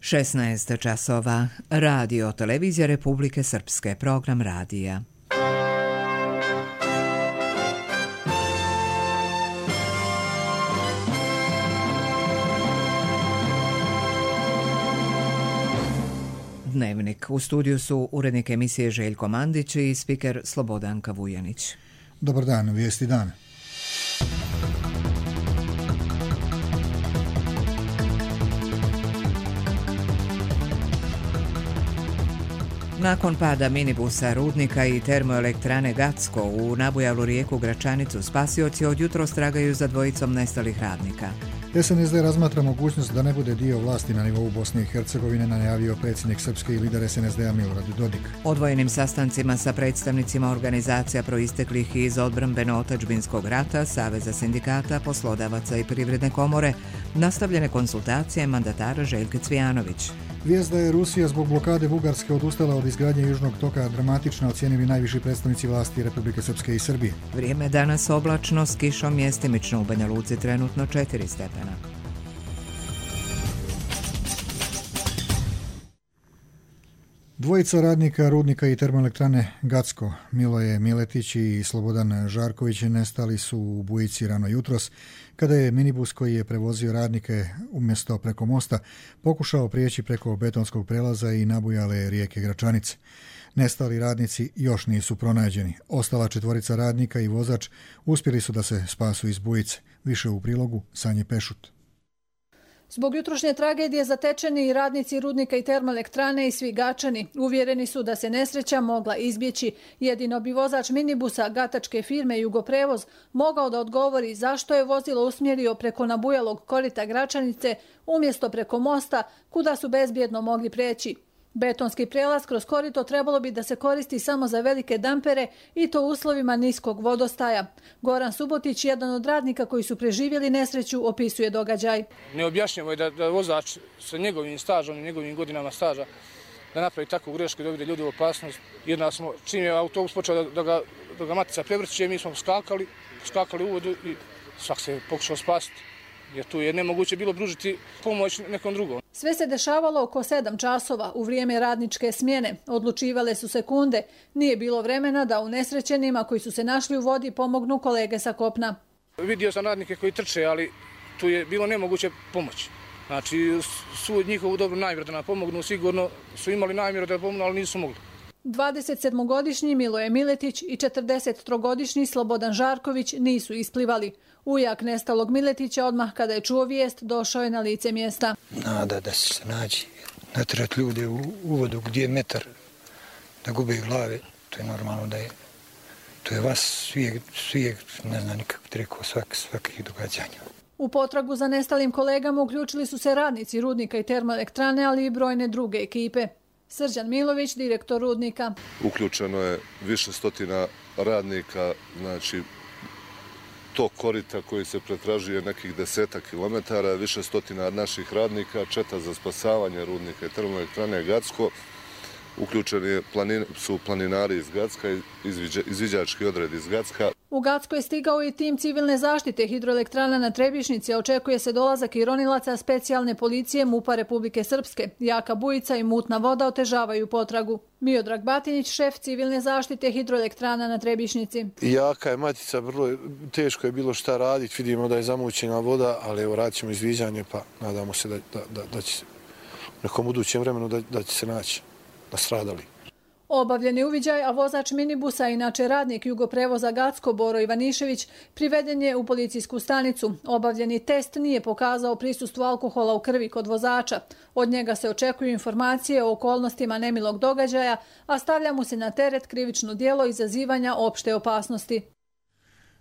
16 časova. Radio Televizija Republike Srpske. Program radija. Dnevnik. U studiju su urednik emisije Željko Mandić i spiker Slobodanka Vujanić. Dobar dan, vijesti dana. Nakon pada minibusa Rudnika i termoelektrane Gacko u nabujalu rijeku Gračanicu, spasioci od jutros tragaju za dvojicom nestalih radnika. SNSD razmatra mogućnost da ne bude dio vlasti na nivou Bosne i Hercegovine, najavio predsjednik Srpske i lider SNSD-a Milorad Dodik. Odvojenim sastancima sa predstavnicima organizacija proisteklih iz odbrambeno-otadžbinskog rata, Saveza sindikata, poslodavaca i Privredne komore, nastavljene konsultacije mandatara Željke Cvijanović. Vijest da je Rusija zbog blokade Bugarske odustala od izgradnje južnog toka dramatično ocijenili najviši predstavnici vlasti Republike Srpske i Srbije. Vrijeme danas oblačno s kišom, mjestimično u Banja Luci trenutno 4 stepena. Dvojica radnika Rudnika i termoelektrane Gacko, Miloje Miletić i Slobodan Žarković, nestali su u Bujici rano jutros, kada je minibus koji je prevozio radnike umjesto preko mosta pokušao prijeći preko betonskog prelaza i nabujale rijeke Gračanice. Nestali radnici još nisu pronađeni. Ostala 4 radnika i vozač uspjeli su da se spasu iz Bujice. Više u prilogu Sanje Pešut. Zbog jutrošnje tragedije zatečeni i radnici Rudnika i termoelektrane i svi Gačani uvjereni su da se nesreća mogla izbjeći. Jedino bi vozač minibusa gatačke firme Jugoprevoz mogao da odgovori zašto je vozilo usmjerio preko nabujalog korita Gračanice umjesto preko mosta kuda su bezbjedno mogli preći. Betonski prelaz kroz korito trebalo bi da se koristi samo za velike dampere i to u uslovima niskog vodostaja. Goran Subotić, jedan od radnika koji su preživjeli nesreću, opisuje događaj. Neobjašnjivo je da vozač sa njegovim stažom i njegovim godinama staža da napravi takvu grešku i dovede ljudi u opasnost. Jedna smo, čim je autobus počeo da ga matica prevrće, mi smo skakali u vodu i svak se pokušao spasiti. Jer tu je nemoguće bilo pružiti pomoć nekom drugom. Sve se dešavalo oko 7 časova u vrijeme radničke smjene. Odlučivale su sekunde. Nije bilo vremena da unesrećenima koji su se našli u vodi pomognu kolege sa kopna. Vidio sam radnike koji trče, ali tu je bilo nemoguće pomoći. Znači, su njihovu dobru namjeru da nam pomognu, sigurno su imali namjeru da pomognu, ali nisu mogli. 27-godišnji Miloje Miletić i 43-godišnji Slobodan Žarković nisu isplivali. Ujak nestalog Miletića odmah kada je čuo vijest došao je na lice mjesta. Nada da se nađi, natrat ljude u vodu gdje je metar da gube glave, to je normalno da je. To je vas svijeg ne znam nikako ti rekao svakih događanja. U potragu za nestalim kolegama uključili su se radnici Rudnika i termoelektrane, ali i brojne druge ekipe. Srđan Milović, direktor Rudnika. Uključeno je više stotina radnika, znači tok korita koji se pretražuje nekih 10 kilometara, više stotina naših radnika, četa za spasavanje Rudnika i termoelektrane Gacko. Uključeni su planinari iz Gacka, izviđački odred iz Gacka. U Gacko je stigao i tim civilne zaštite hidroelektrana na Trebišnici, a očekuje se dolazak i ronilaca specijalne policije MUP-a Republike Srpske. Jaka bujica i mutna voda otežavaju potragu. Miodrag Batinić, šef civilne zaštite hidroelektrana na Trebišnici. Jaka je matica, vrlo teško je bilo šta raditi, vidimo da je zamućena voda, ali evo radit ćemo izviđanje pa nadamo se da će se u nekom budućem vremenu da će se naći nastradali. Obavljen je uviđaj, a vozač minibusa, inače radnik Jugoprevoza Gacko, Boro Ivanišević, priveden je u policijsku stanicu. Obavljeni test nije pokazao prisustvo alkohola u krvi kod vozača. Od njega se očekuju informacije o okolnostima nemilog događaja, a stavlja mu se na teret krivično djelo izazivanja opšte opasnosti.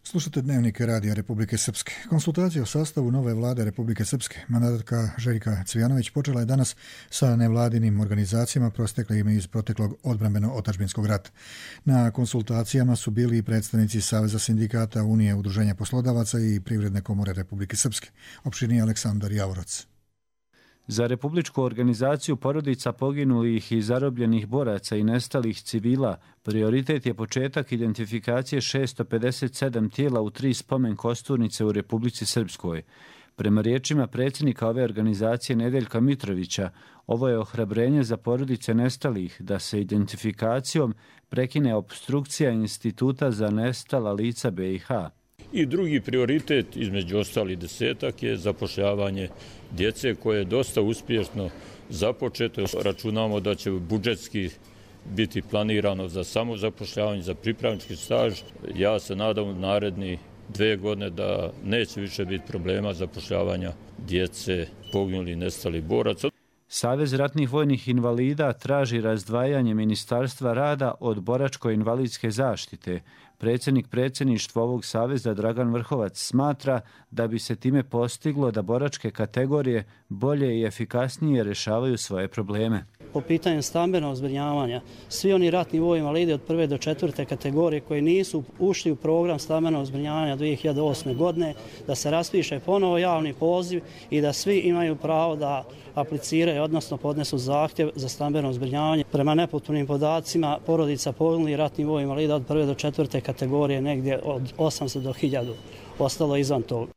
Slušate Dnevnik Radija Republike Srpske. Konsultacija o sastavu nove vlade Republike Srpske, mandatarka Željka Cvijanović, počela je danas sa nevladinim organizacijama prosteklim iz proteklog odbrambeno-otadžbinskog rata. Na konsultacijama su bili i predstavnici Saveza sindikata, Unije udruženja poslodavaca i Privredne komore Republike Srpske. Opširniji Aleksandar Javorac. Za Republičku organizaciju porodica poginulih i zarobljenih boraca i nestalih civila prioritet je početak identifikacije 657 tijela u 3 spomen kosturnice u Republici Srpskoj. Prema riječima predsjednika ove organizacije Nedeljka Mitrovića, ovo je ohrabrenje za porodice nestalih da se identifikacijom prekine opstrukcija Instituta za nestala lica BiH. I drugi prioritet, između ostali 10, je zapošljavanje djece koje je dosta uspješno započeto. Računamo da će budžetski biti planirano za samozapošljavanje, za pripravnički staž. Ja se nadam u naredni 2 godine da neće više biti problema zapošljavanja djece poginulih nestalih boraca. Savez ratnih vojnih invalida traži razdvajanje Ministarstva rada od boračko-invalidske zaštite. Predsjednik predsjedništva ovog saveza Dragan Vrhovac smatra da bi se time postiglo da boračke kategorije bolje i efikasnije rješavaju svoje probleme. Po pitanju stambenog zbrinjavanja, svi oni ratni vojni invalidi od 1. do 4. kategorije koji nisu ušli u program stambenog zbrinjavanja 2008. godine, da se raspiše ponovo javni poziv i da svi imaju pravo da apliciraju, odnosno podnesu zahtjev za stambeno zbrinjavanje. Prema nepotpunim podacima, porodica poginulih ratnih vojnih invalida od 1. do 4. kategorije negdje od 800 do 1000 ostalo izvan toga.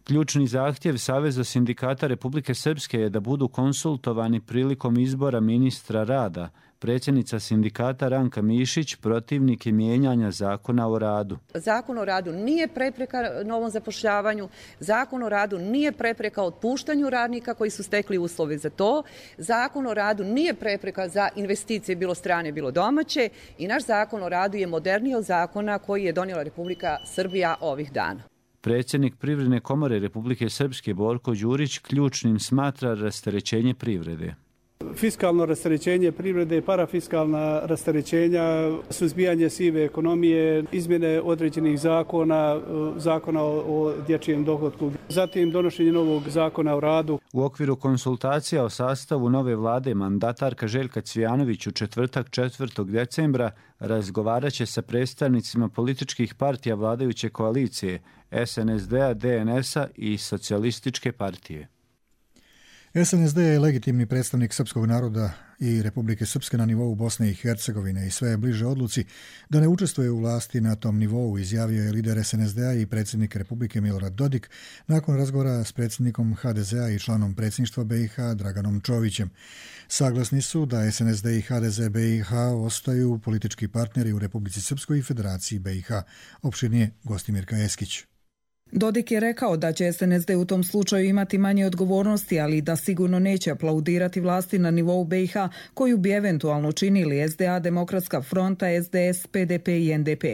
Ključni zahtjev Saveza sindikata Republike Srpske je da budu konsultovani prilikom izbora ministra rada. Predsjednica sindikata Ranka Mišić protivnik je mijenjanja Zakona o radu. Zakon o radu nije prepreka novom zapošljavanju, Zakon o radu nije prepreka otpuštanju radnika koji su stekli uslove za to, Zakon o radu nije prepreka za investicije bilo strane, bilo domaće i naš Zakon o radu je moderniji od zakona koji je donijela Republika Srbija ovih dana. Predsjednik Privredne komore Republike Srpske Borko Đurić ključnim smatra rasterećenje privrede. Fiskalno rasterećenje privrede, parafiskalna rasterećenja, suzbijanje sive ekonomije, izmjene određenih zakona o dječjem dohotku, zatim donošenje novog zakona o radu. U okviru konsultacija o sastavu nove vlade mandatarka Željka Cvijanović u četvrtak 4. decembra razgovarat će sa predstavnicima političkih partija vladajuće koalicije SNSD-a, DNS-a i Socijalističke partije. SNSD je legitimni predstavnik srpskog naroda i Republike Srpske na nivou Bosne i Hercegovine i sve je bliže odluci da ne učestvuje u vlasti na tom nivou, izjavio je lider SNSD-a i predsjednik Republike Milorad Dodik nakon razgovora s predsjednikom HDZ-a i članom predsjedništva BiH Draganom Čovićem. Saglasni su da SNSD i HDZ BiH ostaju politički partneri u Republici Srpskoj i Federaciji BiH. Opširnije Gostimirka Eskić. Dodik je rekao da će SNSD u tom slučaju imati manje odgovornosti, ali da sigurno neće aplaudirati vlasti na nivou BiH koju bi eventualno činili SDA, Demokratska fronta, SDS, PDP i NDP.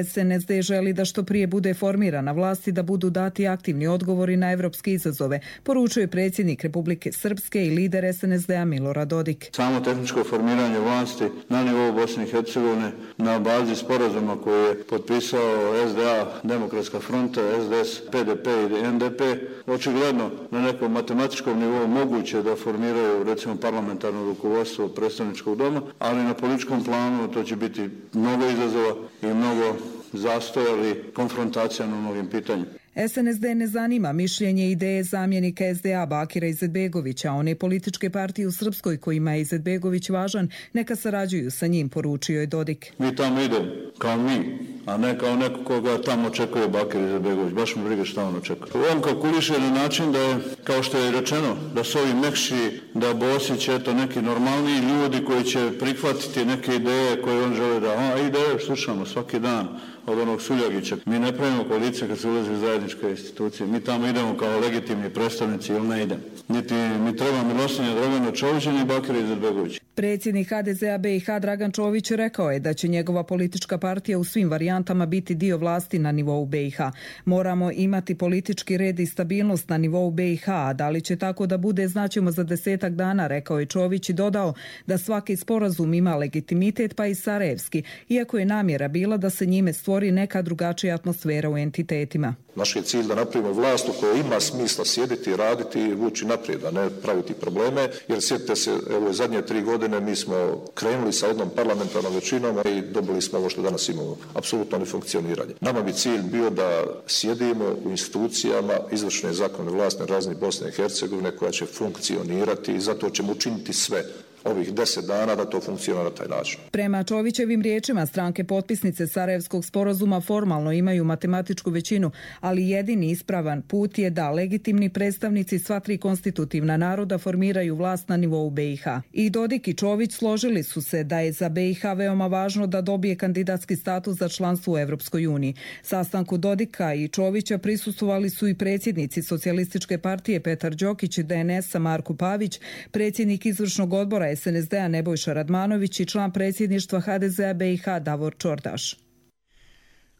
SNSD želi da što prije bude formirana vlast i da budu dati aktivni odgovori na evropske izazove, poručuje predsjednik Republike Srpske i lider SNSD-a Milorad Dodik. Samo tehničko formiranje vlasti na nivou Bosne i Hercegovine na bazi sporazuma koji je potpisao SDA, Demokratska fronta, SDS, PDP i NDP, očigledno na nekom matematičkom nivou moguće da formiraju recimo parlamentarno rukovodstvo predstavničkog doma, ali na političkom planu to će biti mnogo izazova i mnogo zastoja ili konfrontacija na mnogim pitanjima. SNSD ne zanima mišljenje ideje zamjenika SDA Bakira Izetbegovića, one političke partije u Srpskoj kojima je Izetbegović važan, neka sarađuju sa njim, poručio je Dodik. Mi tamo idemo kao mi, a ne kao neko koga tamo očekuje Bakir Izetbegović. Baš mi briga šta on očekuje. On kalkuliše na način da je, kao što je rečeno, da su ovi mekši, da Bosić, eto, neki normalniji ljudi koji će prihvatiti neke ideje koje on žele da... ideje slušamo svaki dan od onog Suljagića. Mi ne pravimo koalicije kad se ulazi u zajedničke institucije. Mi tamo idemo kao legitimni predstavnici ili ne idemo. Niti mi treba milostinja Dragana Čovića ni Bakira Izetbegovića. Predsjednik HDZ-a BiH Dragan Čović rekao je da će njegova politička partija u svim varijantama biti dio vlasti na nivou BiH. Moramo imati politički red i stabilnost na nivou BiH, a da li će tako da bude znaćemo za 10 dana, rekao je Čović i dodao da svaki sporazum ima legitimitet pa i sarajevski, iako je namjera bila da se njime stvori neka drugačija atmosfera u entitetima. Naš je cilj da napravimo vlast u kojoj ima smisla sjediti, raditi i vući naprijed, a ne praviti probleme, jer sjetite se, evo zadnje 3 godine mi smo krenuli sa jednom parlamentarnom većinom i dobili smo ovo što danas imamo, apsolutno nefunkcioniranje. Nama bi cilj bio da sjedimo u institucijama izvršne zakonodavne vlasti na razini Bosne i Hercegovine koja će funkcionirati i zato ćemo učiniti sve ovih 10 dana da to funkcionira na taj način. Prema Čovićevim riječima, stranke potpisnice Sarajevskog sporazuma formalno imaju matematičku većinu, ali jedini ispravan put je da legitimni predstavnici sva tri konstitutivna naroda formiraju vlast na nivou BiH. I Dodik i Čović složili su se da je za BiH veoma važno da dobije kandidatski status za članstvo u Evropskoj uniji. Sastanku Dodika i Čovića prisustvovali su i predsjednici Socijalističke partije Petar Đokić i DNS-a Marko Pavić, predsjednik izvršnog odbora SNSD-a Nebojša Radmanović i član predsjedništva HDZ-a BiH Davor Čordaš.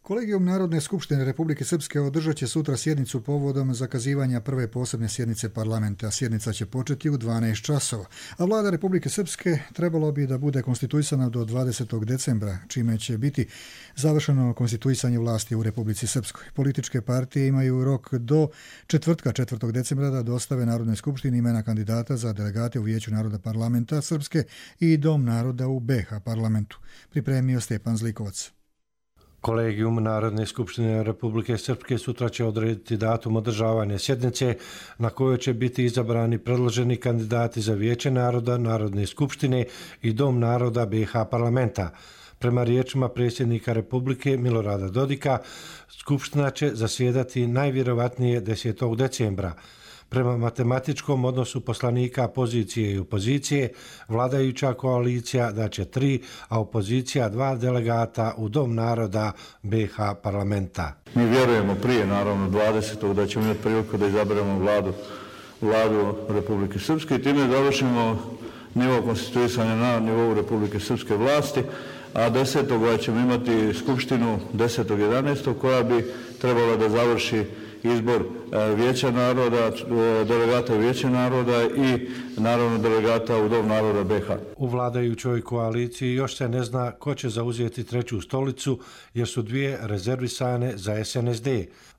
Kolegijum Narodne skupštine Republike Srpske održat će sutra sjednicu povodom zakazivanja prve posebne sjednice parlamenta. Sjednica će početi u 12 časova, a vlada Republike Srpske trebalo bi da bude konstituisana do 20. decembra, čime će biti završeno konstituisanje vlasti u Republici Srpskoj. Političke partije imaju rok do četvrtka 4. decembra da dostave Narodnoj skupštini imena kandidata za delegate u Vijeću naroda parlamenta Srpske i Dom naroda u BiH parlamentu. Pripremio Stepan Zlikovac. Kolegijum Narodne skupštine Republike Srpske sutra će odrediti datum održavanja sjednice na kojoj će biti izabrani predloženi kandidati za Vijeće naroda, Narodne skupštine i Dom naroda BiH parlamenta. Prema riječima predsjednika Republike Milorada Dodika, skupština će zasjedati najvjerovatnije 10. decembra. Prema matematičkom odnosu poslanika pozicije i opozicije, vladajuća koalicija daće 3, a opozicija 2 delegata u Dom naroda BiH parlamenta. Mi vjerujemo prije, naravno, 20. da ćemo imati priliku da izaberemo vladu Republike Srpske i time završimo nivo konstituisanja na nivou Republike Srpske vlasti, a 10. ćemo imati skupštinu 10.11. koja bi trebala da završi izbor Vijeća naroda, delegata Vijeća naroda i naravno delegata u Dom naroda BiH. U vladajućoj koaliciji još se ne zna ko će zauzeti treću stolicu jer su 2 rezervisane za SNSD.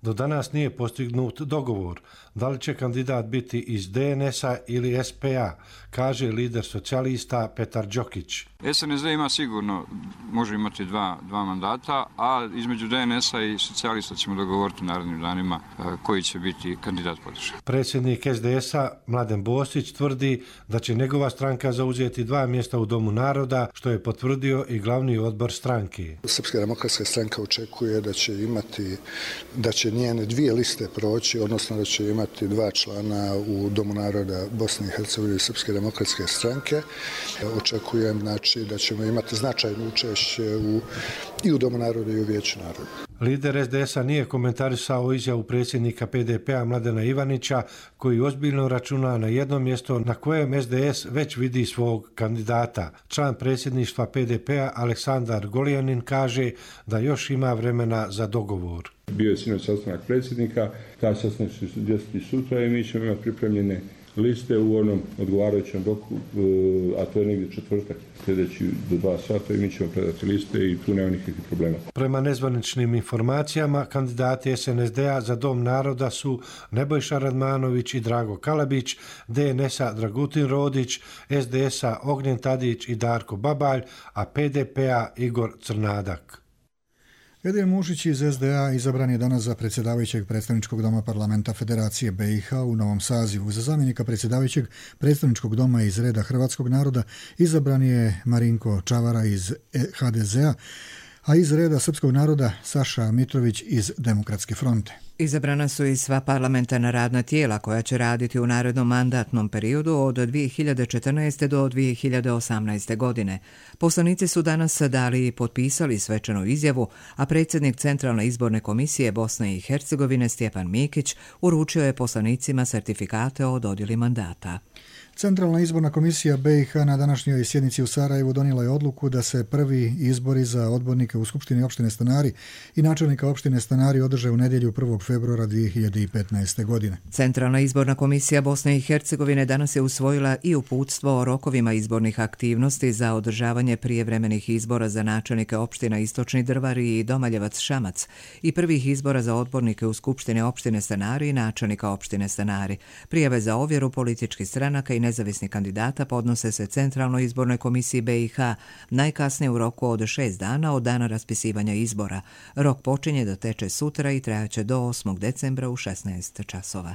Do danas nije postignut dogovor da li će kandidat biti iz DNS-a ili SPA, kaže lider socijalista Petar Đokić. SNSD ima sigurno, može imati dva mandata, a između DNS-a i socijalista ćemo dogovoriti u narednim danima koji će biti kandidat podrške. Predsjednik SDS-a Mladen Bosić tvrdi da će njegova stranka zauzeti 2 mjesta u Domu naroda, što je potvrdio i glavni odbor stranke. Srpska demokratska stranka očekuje da će njene 2 liste proći, odnosno da će imati 2 člana u Domu naroda Bosne i Hercegovine i Srpske demokratske stranke. Očekujem da ćemo imati značajno učešće i u Domu naroda i u Vijeću naroda. Lider SDS-a nije komentarisao izjavu predsjednika PDP-a Mladena Ivanića, koji ozbiljno računa na jedno mjesto na kojem SDS već vidi svog kandidata. Član predsjedništva PDP-a Aleksandar Golijanin kaže da još ima vremena za dogovor. Bio je sinoć sastanak predsjednika, taj sastanak će se desiti sutra i mi ćemo imati pripremljene liste u onom odgovarajućem roku, a to je negdje četvrtak sljedeći do 2 sata i mi ćemo predati liste i tu nema nikakvih problema. Prema nezvaničnim informacijama, kandidati SNSD-a za Dom naroda su Nebojša Radmanović i Drago Kalabić, DNS-a Dragutin Rodić, SDS-a Ognjen Tadić i Darko Babalj, a PDP-a Igor Crnadak. Edin Mušić iz SDA izabran je danas za predsjedavajućeg predstavničkog doma parlamenta Federacije BiH u novom sazivu. Za zamjenika predsjedavajućeg predstavničkog doma iz reda hrvatskog naroda izabran je Marinko Čavara iz HDZ-a, a iz reda srpskog naroda Saša Mitrović iz Demokratske fronte. Izabrana su i sva parlamentarna radna tijela koja će raditi u narednom mandatnom periodu od 2014. do 2018. godine. Poslanici su danas dali i potpisali svečanu izjavu, a predsjednik Centralne izborne komisije Bosne i Hercegovine Stjepan Mikić uručio je poslanicima sertifikate o dodjeli mandata. Centralna izborna komisija BiH na današnjoj sjednici u Sarajevu donijela je odluku da se prvi izbori za odbornike u Skupštini opštine Stanari i načelnika opštine Stanari održe u nedjelju 1. februara 2015. godine. Centralna izborna komisija Bosne i Hercegovine danas je usvojila i uputstvo o rokovima izbornih aktivnosti za održavanje prijevremenih izbora za načelnike opština Istočni Drvari i Domaljevac Šamac i prvih izbora za odbornike u Skupštine opštine Stanari i načelnika opštine Stanari. Prijave za ovjeru političkih stranaka i nezavisnih kandidata podnose se Centralnoj izbornoj komisiji BiH najkasnije u roku od 6 dana od dana raspisivanja izbora. Rok počinje da teče sutra i trajaće do 8. decembra u 16 časova.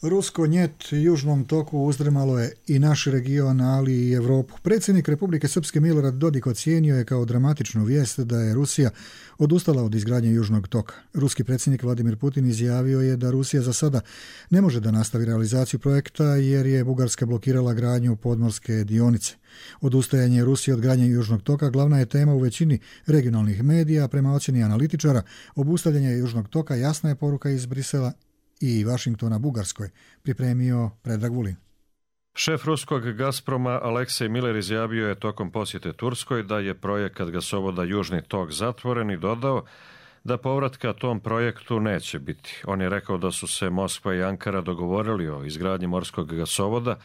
Rusko njet južnom toku uzdrmalo je i naš region, ali i Evropu. Predsjednik Republike Srpske Milorad Dodik ocijenio je kao dramatičnu vijest da je Rusija odustala od izgradnje južnog toka. Ruski predsjednik Vladimir Putin izjavio je da Rusija za sada ne može da nastavi realizaciju projekta jer je Bugarska blokirala gradnju podmorske dionice. Odustajanje Rusije od gradnje južnog toka glavna je tema u većini regionalnih medija. Prema ocjeni analitičara, obustavljanje južnog toka jasna je poruka iz Brisela i Vašingtona Bugarskoj, pripremio Predrag Vulin. Šef ruskog Gazproma Aleksej Miller izjavio je tokom posjete Turskoj da je projekat gasovoda Južni tok zatvoren i dodao da povratka tom projektu neće biti. On je rekao da su se Moskva i Ankara dogovorili o izgradnji morskog gasovoda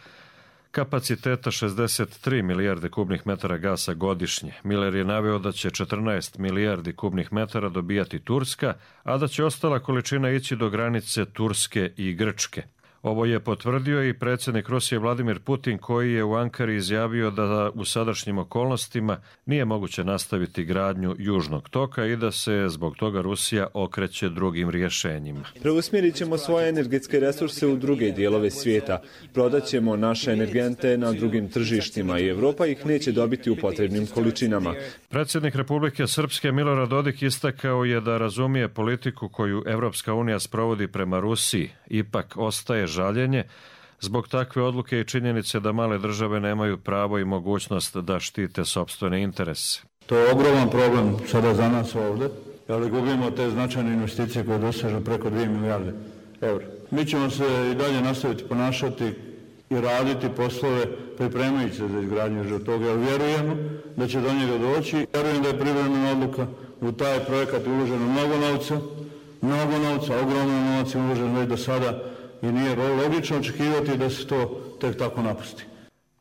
kapaciteta 63 milijarde kubnih metara gasa godišnje. Miller je naveo da će 14 milijardi kubnih metara dobijati Turska, a da će ostala količina ići do granice Turske i Grčke. Ovo je potvrdio i predsjednik Rusije Vladimir Putin, koji je u Ankari izjavio da u sadašnjim okolnostima nije moguće nastaviti gradnju južnog toka i da se zbog toga Rusija okreće drugim rješenjima. Preusmjerit ćemo svoje energetske resurse u druge dijelove svijeta. Prodat ćemo naše energente na drugim tržištima i Evropa ih neće dobiti u potrebnim količinama. Predsjednik Republike Srpske Milorad Dodik istakao je da razumije politiku koju Evropska unija sprovodi prema Rusiji. Ipak ostaje žaljenje zbog takve odluke i činjenice da male države nemaju pravo i mogućnost da štite sopstvene interese. To je ogroman problem sada za nas ovdje, jer gubimo te značajne investicije koje dosežu preko 2 milijarde eura. Mi ćemo se i dalje nastaviti ponašati i raditi poslove pripremajući se za izgradnju južnog toka, jer vjerujemo da će do njega doći. Vjerujem da je privremena odluka, u taj projekat uloženo mnogo novca, ogromno novac je uložen već do sada i nije logično očekivati da se to tek tako napusti.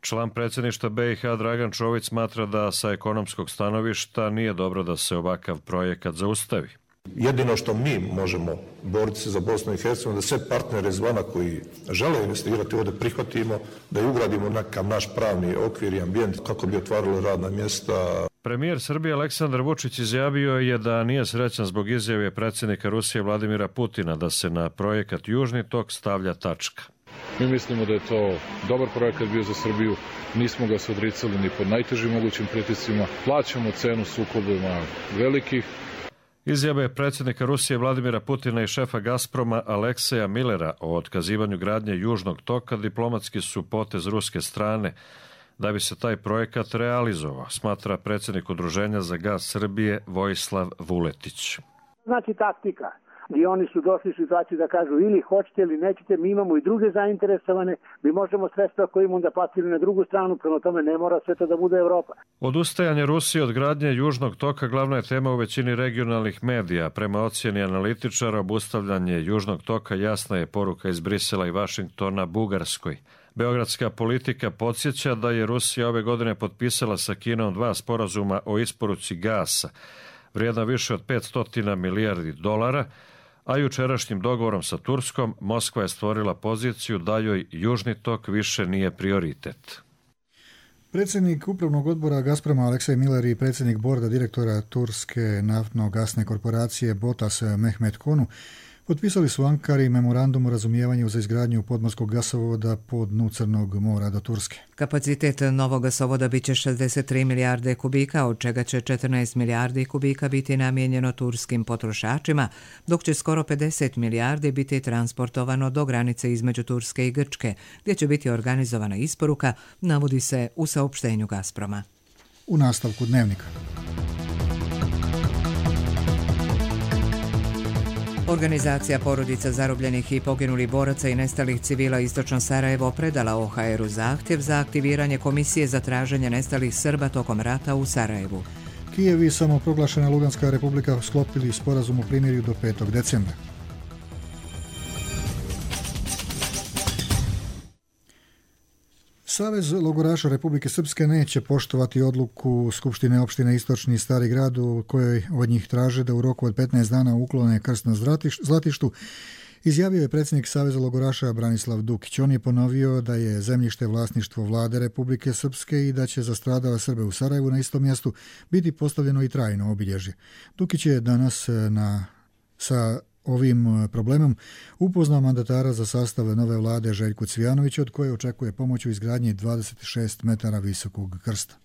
Član predsjedništva BiH Dragan Čović smatra da sa ekonomskog stanovišta nije dobro da se ovakav projekat zaustavi. Jedino što mi možemo boriti se za Bosnu i Hercegovinu, da sve partnere izvana koji žele investirati ovdje prihvatimo, da je ugradimo nekakav naš pravni okvir i ambijent kako bi otvaralo radna mjesta. Premijer Srbije Aleksandar Vučić izjavio je da nije srećan zbog izjave predsjednika Rusije Vladimira Putina da se na projekat Južni tok stavlja tačka. Mi mislimo da je to dobar projekat bio za Srbiju, nismo ga se odricali ni pod najtežim mogućim pritiscima, plaćamo cenu sukobima velikih. Izjave predsjednika Rusije Vladimira Putina i šefa Gazproma Alekseja Millera o otkazivanju gradnje Južnog toka diplomatski su potez ruske strane da bi se taj projekat realizovao, smatra predsjednik Udruženja za gaz Srbije Vojislav Vuletić. Znači taktika. I oni su došli u situaciju da kažu ili hoćete ili nećete, mi imamo i druge zainteresovane, mi možemo sredstva koje imamo da platili na drugu stranu, prema tome ne mora sve to da bude Evropa. Odustajanje Rusije od gradnje Južnog toka glavna je tema u većini regionalnih medija. Prema ocjeni analitičara, obustavljanje Južnog toka jasna je poruka iz Brisela i Vašingtona Bugarskoj. Beogradska politika podsjeća da je Rusija ove godine potpisala sa Kinom 2 sporazuma o isporuci gasa, vrijedna više od 500 milijardi dolara, a jučerašnjim dogovorom sa Turskom Moskva je stvorila poziciju da joj Južni tok više nije prioritet. Predsjednik upravnog odbora Gazproma Aleksej Miller i predsjednik borda direktora Turske naftno-gasne korporacije Botas Mehmet Konu potpisali su u Ankari memorandum o razumijevanju za izgradnju podmorskog gasovoda po dnu Crnog mora do Turske. Kapacitet novog gasovoda biće 63 milijarde kubika, od čega će 14 milijardi kubika biti namijenjeno turskim potrošačima, dok će skoro 50 milijardi biti transportovano do granice između Turske i Grčke, gdje će biti organizovana isporuka, navodi se u saopštenju Gazproma. U nastavku dnevnika. Organizacija porodica zarobljenih i poginulih boraca i nestalih civila Istočno Sarajevo predala OHR-u zahtjev za aktiviranje komisije za traženje nestalih Srba tokom rata u Sarajevu. Kijev i samoproglašena Luganska republika sklopili sporazum o primirju do 5. decembra. Savez logoraša Republike Srpske neće poštovati odluku Skupštine opštine Istočni Stari grad u kojoj od njih traže da u roku od 15 dana uklone krst na Zlatištu, izjavio je predsjednik Saveza logoraša Branislav Dukić. On je ponovio da je zemljište vlasništvo vlade Republike Srpske i da će za stradale Srbe u Sarajevu na istom mjestu biti postavljeno i trajno obilježje. Dukić je danas sa ovim problemom upoznao mandatara za sastav nove vlade Željku Cvijanovića, od koje očekuje pomoć u izgradnji 26 metara visokog krsta.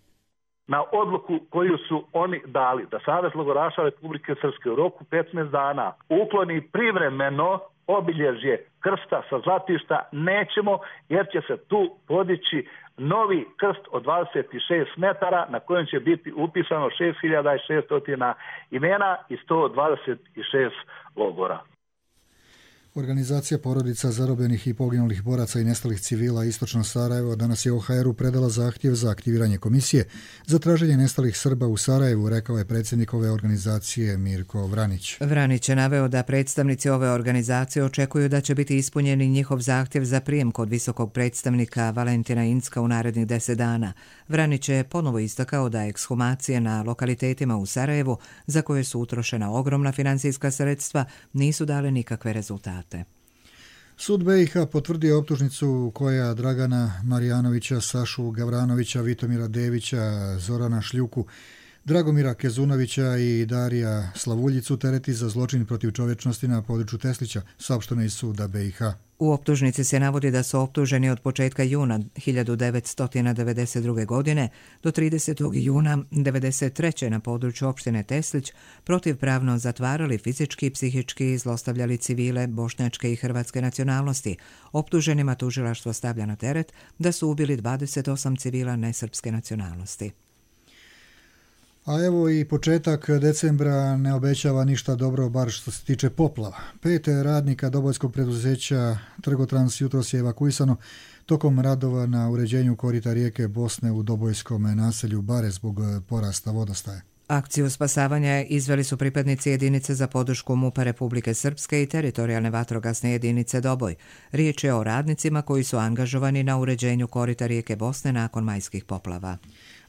Na odluku koju su oni dali da Savez logoraša Republike Srpske u roku 15 dana ukloni privremeno obilježje krsta sa Zlatišta, nećemo, jer će se tu podići novi krst od 26 metara na kojem će biti upisano 6600 imena i 126 logora. Organizacija porodica zarobljenih i poginulih boraca i nestalih civila Istočno Sarajevo danas je OHR-u predala zahtjev za aktiviranje komisije za traženje nestalih Srba u Sarajevu, rekao je predsjednik ove organizacije Mirko Vranić. Vranić je naveo da predstavnici ove organizacije očekuju da će biti ispunjeni njihov zahtjev za prijem kod visokog predstavnika Valentina Incka u narednih 10 dana. Vranić je ponovo istakao da ekshumacije na lokalitetima u Sarajevu, za koje su utrošena ogromna financijska sredstva, nisu dale nikakve rezultate. Sud BiH potvrdio optužnicu koja Dragana Marijanovića, Sašu Gavranovića, Vitomira Devića, Zorana Šljuku, Dragomira Kezunovića i Darija Slavuljicu tereti za zločin protiv čovječnosti na području Teslića, saopšteno iz suda BiH. U optužnici se navodi da su optuženi od početka juna 1992. godine do 30. juna 1993. na području opštine Teslić protivpravno zatvarali, fizički i psihički zlostavljali civile bošnjačke i hrvatske nacionalnosti. Optuženima tužilaštvo stavlja na teret da su ubili 28 civila nesrpske nacionalnosti. A evo i početak decembra ne obećava ništa dobro, bar što se tiče poplava. 5 radnika dobojskog preduzeća Trgotrans jutros je evakuisano tokom radova na uređenju korita rijeke Bosne u dobojskom naselju Bare zbog porasta vodostaja. Akciju spasavanja izveli su pripadnici jedinice za podršku MUP-a Republike Srpske i teritorijalne vatrogasne jedinice Doboj. Riječ je o radnicima koji su angažovani na uređenju korita rijeke Bosne nakon majskih poplava.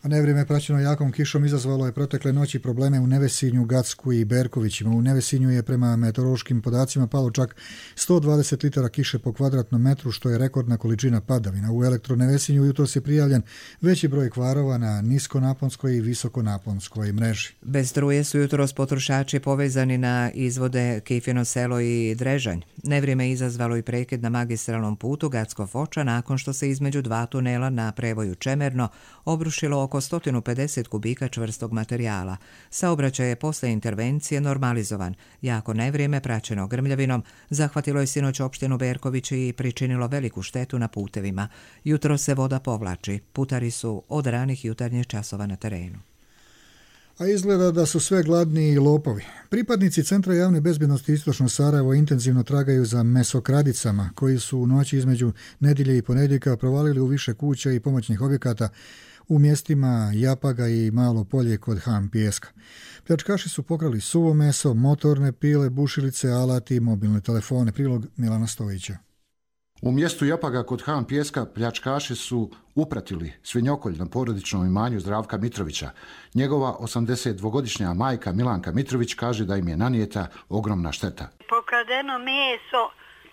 A nevrijeme praćeno jakom kišom izazvalo je protekle noći probleme u Nevesinju, Gacku i Berkovićima. U Nevesinju je prema meteorološkim podacima palo čak 120 litara kiše po kvadratnom metru, što je rekordna količina padavina. U Elektronevesinju jutros je prijavljen veći broj kvarova na niskonaponskoj i visokonaponskoj mreži. Bez struje su jutros potrošači povezani na izvode Kifino selo i Drežanj. Nevrijeme izazvalo i prekid na magistralnom putu Gacko-Foča nakon što se između dva tunela na prevoju Čemerno obrušilo oko 150 kubika čvrstog materijala. Saobraćaj je posle intervencije normalizovan. Jako nevrijeme praćeno grmljavinom zahvatilo je sinoć opštinu Berković i pričinilo veliku štetu na putevima. Jutro se voda povlači. Putari su od ranih jutarnjih časova na terenu. A izgleda da su sve gladni i lopovi. Pripadnici Centra javne bezbjednosti Istočno Sarajevo intenzivno tragaju za mesokradicama, koji su u noći između nedjelje i ponedjeljka provalili u više kuća i pomoćnih objekata u mjestima Japaga i Malo Polje kod Han Pijeska. Pljačkaši su pokrali suvo meso, motorne pile, bušilice, alati i mobilne telefone. Prilog Milana Stojića. U mjestu Japaga kod Han Pijeska pljačkaši su upratili svinjokolj na porodičnom imanju Zdravka Mitrovića. Njegova 82-godišnja majka Milanka Mitrović kaže da im je nanijeta ogromna šteta. Pokradeno meso,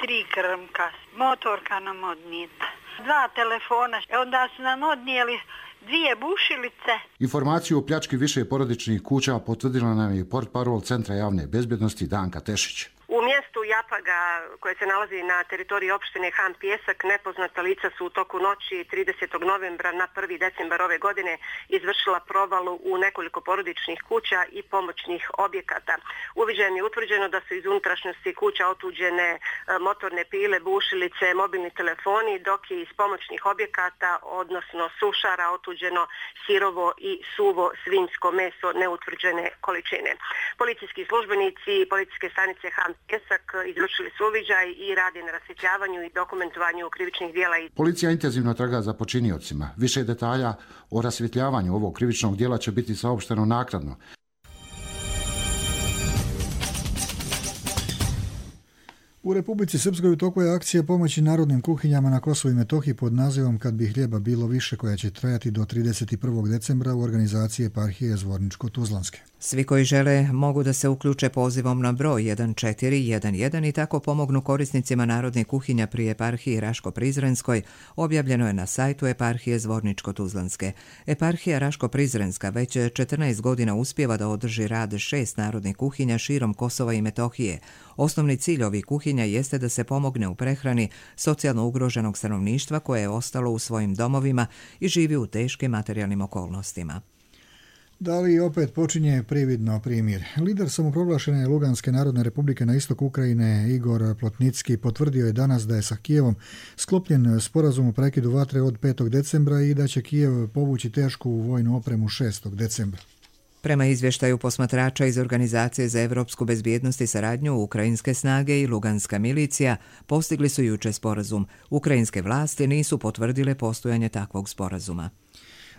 3 krmka, motorka nam odnijeta, 2 telefona, onda su nam odnijeli 2 bušilice. Informaciju o pljački više porodičnih kuća potvrdila nam je portparol Centra javne bezbjednosti Danka Tešić. U mjestu Japaga, koje se nalazi na teritoriji opštine Han Pijesak, nepoznata lica su u toku noći 30. novembra na 1. decembar ove godine izvršila provalu u nekoliko porodičnih kuća i pomoćnih objekata. Uviđajem je utvrđeno da su iz unutrašnjosti kuća otuđene motorne pile, bušilice, mobilni telefoni, dok je iz pomoćnih objekata, odnosno sušara, otuđeno sirovo i suvo svinjsko meso neutvrđene količine. Policijski službenici i policijske stanice Han Pijesak izvršili su uviđaj i rade na rasvjetljavanju i dokumentovanju krivičnih djela. Policija intenzivno traga za počiniocima. Više detalja o rasvjetljavanju ovog krivičnog djela će biti saopšteno naknadno. U Republici Srpskoj u toku je akcija pomoći narodnim kuhinjama na Kosovu i Metohiji pod nazivom Kad bi hljeba bilo više, koja će trajati do 31. decembra u organizaciji eparhije Zvorničko-Tuzlanske. Svi koji žele mogu da se uključe pozivom na broj 1411 i tako pomognu korisnicima narodnih kuhinja pri eparhiji Raško-Prizrenskoj, objavljeno je na sajtu eparhije Zvorničko-Tuzlanske. Eparhija Raško-Prizrenska već 14 godina uspijeva da održi rad 6 narodnih kuhinja širom Kosova i Metohije. Osnovni cilj ovih kuhinja jeste da se pomogne u prehrani socijalno ugroženog stanovništva koje je ostalo u svojim domovima i živi u teškim materijalnim okolnostima. Da li opet počinje prividno primirje? Lider samoproglašene Luganske narodne republike na istok Ukrajine Igor Plotnicki potvrdio je danas da je sa Kijevom sklopljen sporazum o prekidu vatre od 5. decembra i da će Kijev povući tešku vojnu opremu 6. decembra. Prema izvještaju posmatrača iz Organizacije za evropsku bezbjednost i saradnju, ukrajinske snage i luganska milicija postigli su jučer sporazum. Ukrajinske vlasti nisu potvrdile postojanje takvog sporazuma.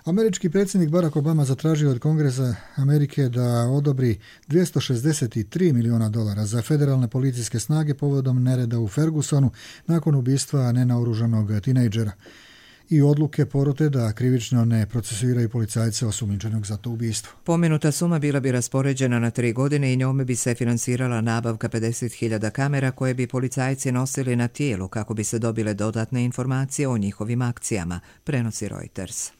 Američki predsjednik Barack Obama zatražio od Kongresa Amerike da odobri $263 milijuna za federalne policijske snage povodom nereda u Fergusonu nakon ubistva nenaoružanog tinejdžera i odluke porote da krivično ne procesuiraju policajce osumnjičenog za to ubistvo. Pomenuta suma bila bi raspoređena na 3 godine i njome bi se finansirala nabavka 50.000 kamera koje bi policajci nosili na tijelu kako bi se dobile dodatne informacije o njihovim akcijama, prenosi Reuters.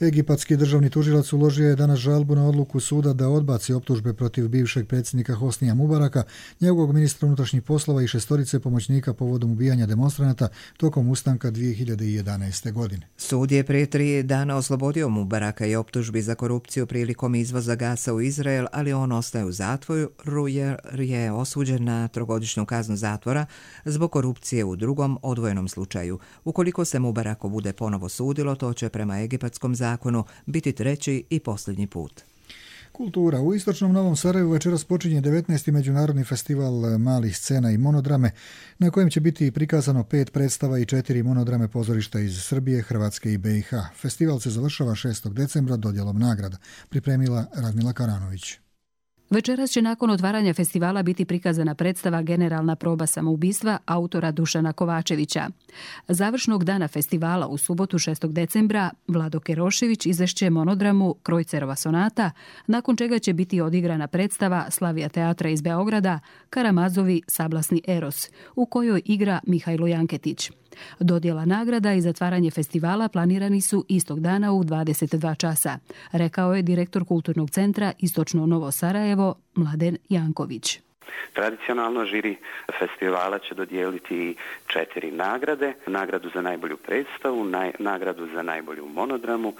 Egipatski državni tužilac uložio je danas žalbu na odluku suda da odbaci optužbe protiv bivšeg predsjednika Hosnija Mubaraka, njegovog ministra unutrašnjih poslova i 6 pomoćnika povodom ubijanja demonstranata tokom ustanka 2011. godine. Sud je prije 3 dana oslobodio Mubaraka i optužbi za korupciju prilikom izvoza gasa u Izrael, ali on ostaje u zatvoru jer je osuđen na 3-godišnju kaznu zatvora zbog korupcije u drugom odvojenom slučaju. Ukoliko se Mubarako bude ponovo sudilo, to će prema egipatskom zakonu biti 3. i posljednji put. Kultura. U istočnom Novom Sarajevu večeras počinje 19. međunarodni festival malih scena i monodrame, na kojem će biti prikazano 5 predstava i 4 monodrame pozorišta iz Srbije, Hrvatske i BiH. Festival se završava 6. decembra dodjelom nagrada, pripremila Radmila Karanović. Večeras će nakon otvaranja festivala biti prikazana predstava Generalna proba samoubistva autora Dušana Kovačevića. Završnog dana festivala u subotu 6. decembra Vlado Kerošević izvešće monodramu Krojcerova sonata, nakon čega će biti odigrana predstava Slavija teatra iz Beograda Karamazovi Sablasni Eros, u kojoj igra Mihajlo Janketić. Dodjela nagrada i zatvaranje festivala planirani su istog dana u 22 časa, rekao je direktor Kulturnog centra Istočno Novo Sarajevo Mladen Janković. Tradicionalno žiri festivala će dodijeliti 4 nagrade, nagradu za najbolju predstavu, nagradu za najbolju monodramu,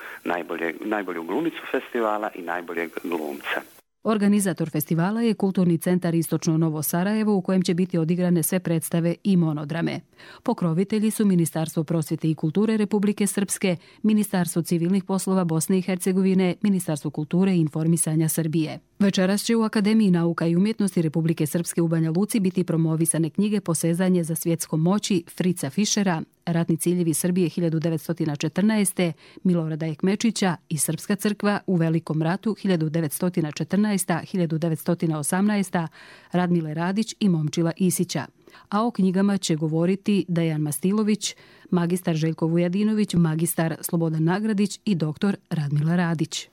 najbolju glumicu festivala i najboljeg glumca. Organizator festivala je Kulturni centar Istočno Novo Sarajevo u kojem će biti odigrane sve predstave i monodrame. Pokrovitelji su Ministarstvo prosvjete i kulture Republike Srpske, Ministarstvo civilnih poslova Bosne i Hercegovine, Ministarstvo kulture i informisanja Srbije. Večeras će u Akademiji nauka i umjetnosti Republike Srpske u Banja Luci biti promovisane knjige Posezanje za svjetskom moći Frica Fišera, Ratni ciljevi Srbije 1914. Milorada Ekmečića i Srpska crkva u Velikom ratu 1914-1918. Radmile Radić i Momčila Isića. A o knjigama će govoriti Dejan Mastilović, magistar Željko Vujadinović, magistar Slobodan Nagradić i doktor Radmila Radić.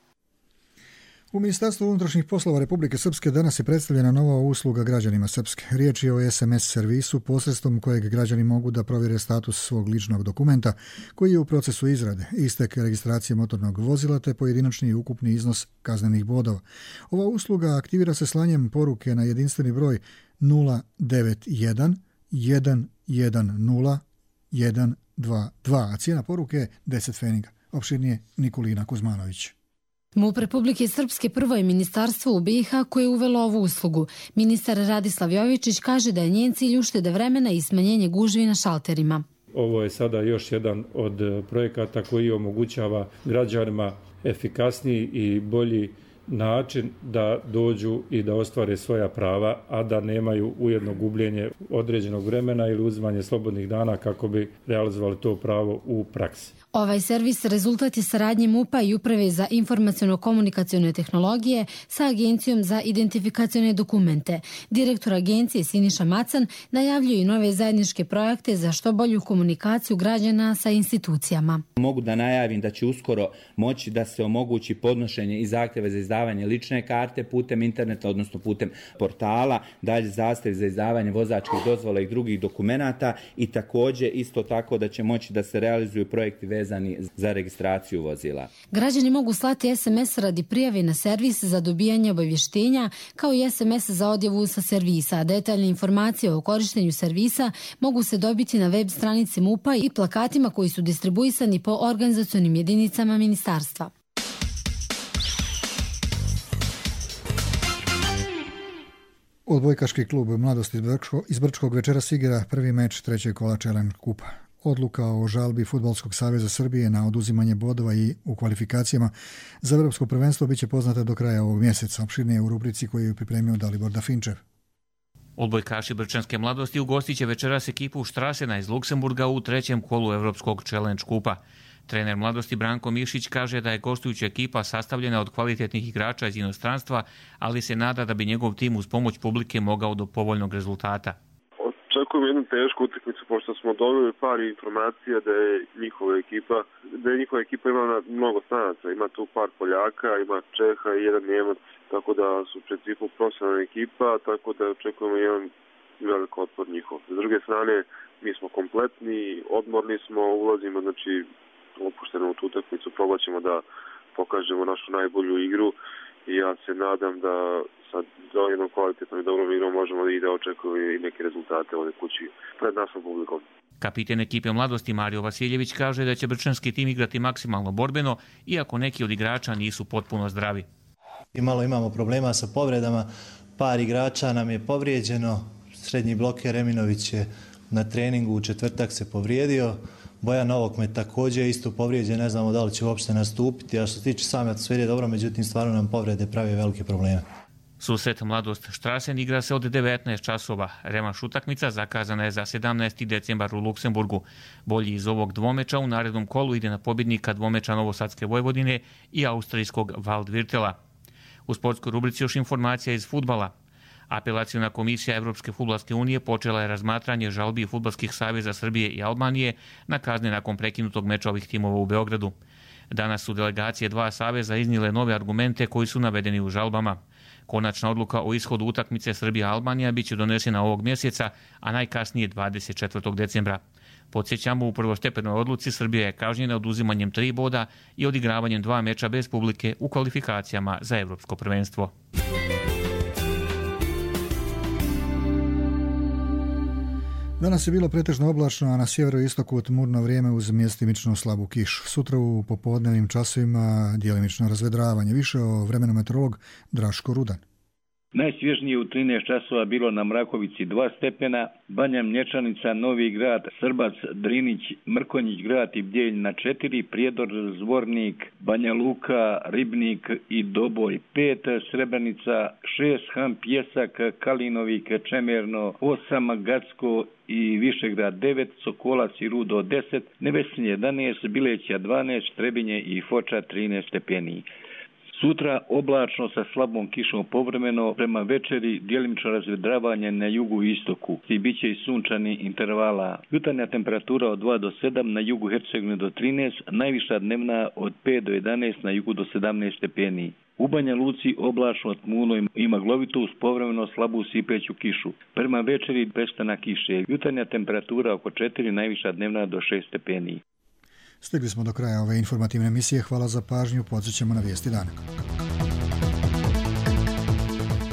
U Ministarstvu unutrašnjih poslova Republike Srpske danas je predstavljena nova usluga građanima Srpske. Riječ je o SMS servisu posredstvom kojeg građani mogu da provjere status svog ličnog dokumenta koji je u procesu izrade, istek registracije motornog vozila te pojedinačni i ukupni iznos kaznenih bodova. Ova usluga aktivira se slanjem poruke na jedinstveni broj 091 110 122, a cijena poruke je 10 feninga. Opširnije Nikolina Kuzmanović. MUP Republike Srpske prvo je ministarstvo u BiH koje je uvelo ovu uslugu. Ministar Radislav Jovičić kaže da je njen cilj uštede vremena i smanjenje gužvi na šalterima. Ovo je sada još jedan od projekata koji omogućava građanima efikasniji i bolji način da dođu i da ostvare svoja prava, a da nemaju ujedno gubljenje određenog vremena ili uzimanje slobodnih dana kako bi realizovali to pravo u praksi. Ovaj servis rezultat je saradnje MUP-a i Uprave za informaciono-komunikacione tehnologije sa Agencijom za identifikacione dokumente. Direktor agencije Siniša Macan najavljuje i nove zajedničke projekte za što bolju komunikaciju građana sa institucijama. Mogu da najavim da će uskoro moći da se omogući podnošenje i zahtjeva za izdavanje lične karte putem interneta, odnosno putem portala, dalje zahtjev za izdavanje vozačkih dozvola i drugih dokumenata i također isto tako da će moći da se realizuju projekti vezani za registraciju vozila. Građani mogu slati SMS radi prijave na servis za dobijanje obavještenja kao i SMS za odjavu sa servisa. Detaljne informacije o korištenju servisa mogu se dobiti na web stranici MUP-a i plakatima koji su distribuisani po organizacionim jedinicama ministarstva. Odbojkaški klub Mladost iz Brčkog večeras igra prvi meč trećeg kola Challenge Kupa. Odluka o žalbi Fudbalskog saveza Srbije na oduzimanje bodova i u kvalifikacijama za Evropsko prvenstvo biće poznata do kraja ovog mjeseca. Opširnije u rubrici koju je pripremio Dalibor Dafinčev. Odbojkaši Brčanske Mladosti ugostit će večeras ekipu Štrasena iz Luksemburga u trećem kolu Evropskog Challenge Kupa. Trener Mladosti Branko Mišić kaže da je gostujuća ekipa sastavljena od kvalitetnih igrača iz inostranstva, ali se nada da bi njegov tim uz pomoć publike mogao do povoljnog rezultata. Očekujem jednu tešku utakmicu, pošto smo dobili par informacija da je njihova ekipa ima mnogo stranaca. Ima tu par Poljaka, ima Čeha i jedan Njemac, tako da su u principu profesionalna ekipa, tako da očekujemo jedan velik otpor njihov. S druge strane, mi smo kompletni, odmorni smo, ulazimo, znači opušteno u tu utakmicu, probat ćemo da pokažemo našu najbolju igru i ja se nadam da sa jednom kvalitetnom i dobrom igrom možemo da očekujemo i neke rezultate ovdje kući pred našom publikom. Kapiten ekipe Mladosti Mario Vasiljević kaže da će brčanski tim igrati maksimalno borbeno, iako neki od igrača nisu potpuno zdravi. Imamo problema sa povredama, par igrača nam je povrijeđeno, srednji bloker Eminović je na treningu u četvrtak se povrijedio, Bojan Novokmet također isto povrijeđen, ne znamo da li će uopšte nastupiti, a što se tiče same atmosfere dobro, međutim stvarno nam povrede pravi velike probleme. Susret Mladost Štrasen igra se od 19 časova. Revanš utakmica zakazana je za 17. decembar u Luksemburgu. Bolji iz ovog dvomeča u narednom kolu ide na pobjednika dvomeča Novosadske Vojvodine i austrijskog Waldvirtela. U sportskoj rubrici još informacija iz fudbala. Apelaciona komisija Evropske fudbalske unije počela je razmatranje žalbi Fudbalskih saveza Srbije i Albanije na kazne nakon prekinutog meča ovih timova u Beogradu. Danas su delegacije dva saveza iznijele nove argumente koji su navedeni u žalbama. Konačna odluka o ishodu utakmice Srbija-Albanija biće donesena ovog mjeseca, a najkasnije 24. decembra. Podsjećamo, u prvostepenoj odluci Srbija je kažnjena oduzimanjem 3 boda i odigravanjem 2 meča bez publike u kvalifikacijama za Evropsko prvenstvo. Danas je bilo pretežno oblačno, a na sjeveroistoku tmurno vrijeme uz mjestimično slabu kišu. Sutra u popodnevnim časovima djelimično razvedravanje. Više o vremenu meteorolog Draško Rudan. Najsvježnije u 13 časova bilo na Mrakovici 2 stepena, Banja Mlječanica, Novi Grad, Srbac, Drinić, Mrkonjić Grad i Bjelj na 4, Prijedor, Zvornik, Banja Luka, Ribnik i Doboj 5, Srebrenica 6, Han Pjesak, Kalinovik, Čemerno 8, Gacko i Višegrad 9, Sokolac i Rudo 10, Nevesinje 11, Bileća 12, Trebinje i Foča 13 stepeni. Sutra oblačno sa slabom kišom povremeno, prema večeri djelimično razvedravanje na jugu i istoku i bit će i sunčani intervala. Jutarnja temperatura od 2 do 7, na jugu Hercegovine do 13, najviša dnevna od 5 do 11, na jugu do 17 stepeni. U Banja Luci oblačno tmuno i maglovito uz povremeno slabu sipeću kišu. Prema večeri prestanak kiše. Jutarnja temperatura oko 4, najviša dnevna do 6 stepeni. Stigli smo do kraja ove informativne emisije. Hvala za pažnju. Podsjećamo na vijesti dana.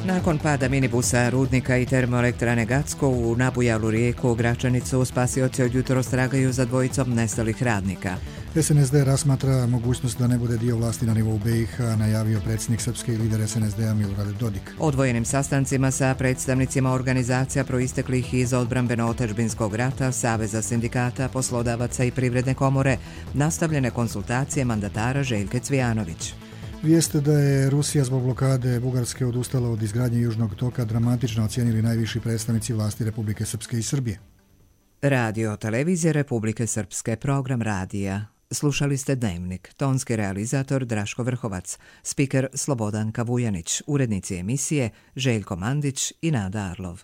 Nakon pada minibusa Rudnika i termoelektrane Gacko u nabujalu rijeku Gračanicu, spasioci od jutros tragaju za dvojicom nestalih radnika. SNSD razmatra mogućnost da ne bude dio vlasti na nivou BiH, najavio predsjednik srpske i lider SNSD-a Milorad Dodik. Odvojenim sastancima sa predstavnicima organizacija proisteklih iz odbrambeno-otadžbinskog rata, Saveza sindikata, poslodavaca i Privredne komore, nastavljene konsultacije mandatara Željke Cvijanović. Vijest da je Rusija zbog blokade Bugarske odustala od izgradnje Južnog toka dramatično ocijenili najviši predstavnici vlasti Republike Srpske i Srbije. Radio Televizije Republike Srpske, program radija. Slušali ste Dnevnik, tonski realizator Draško Vrhovac, spiker Slobodanka Vujanić, urednici emisije Željko Mandić i Nada Arlov.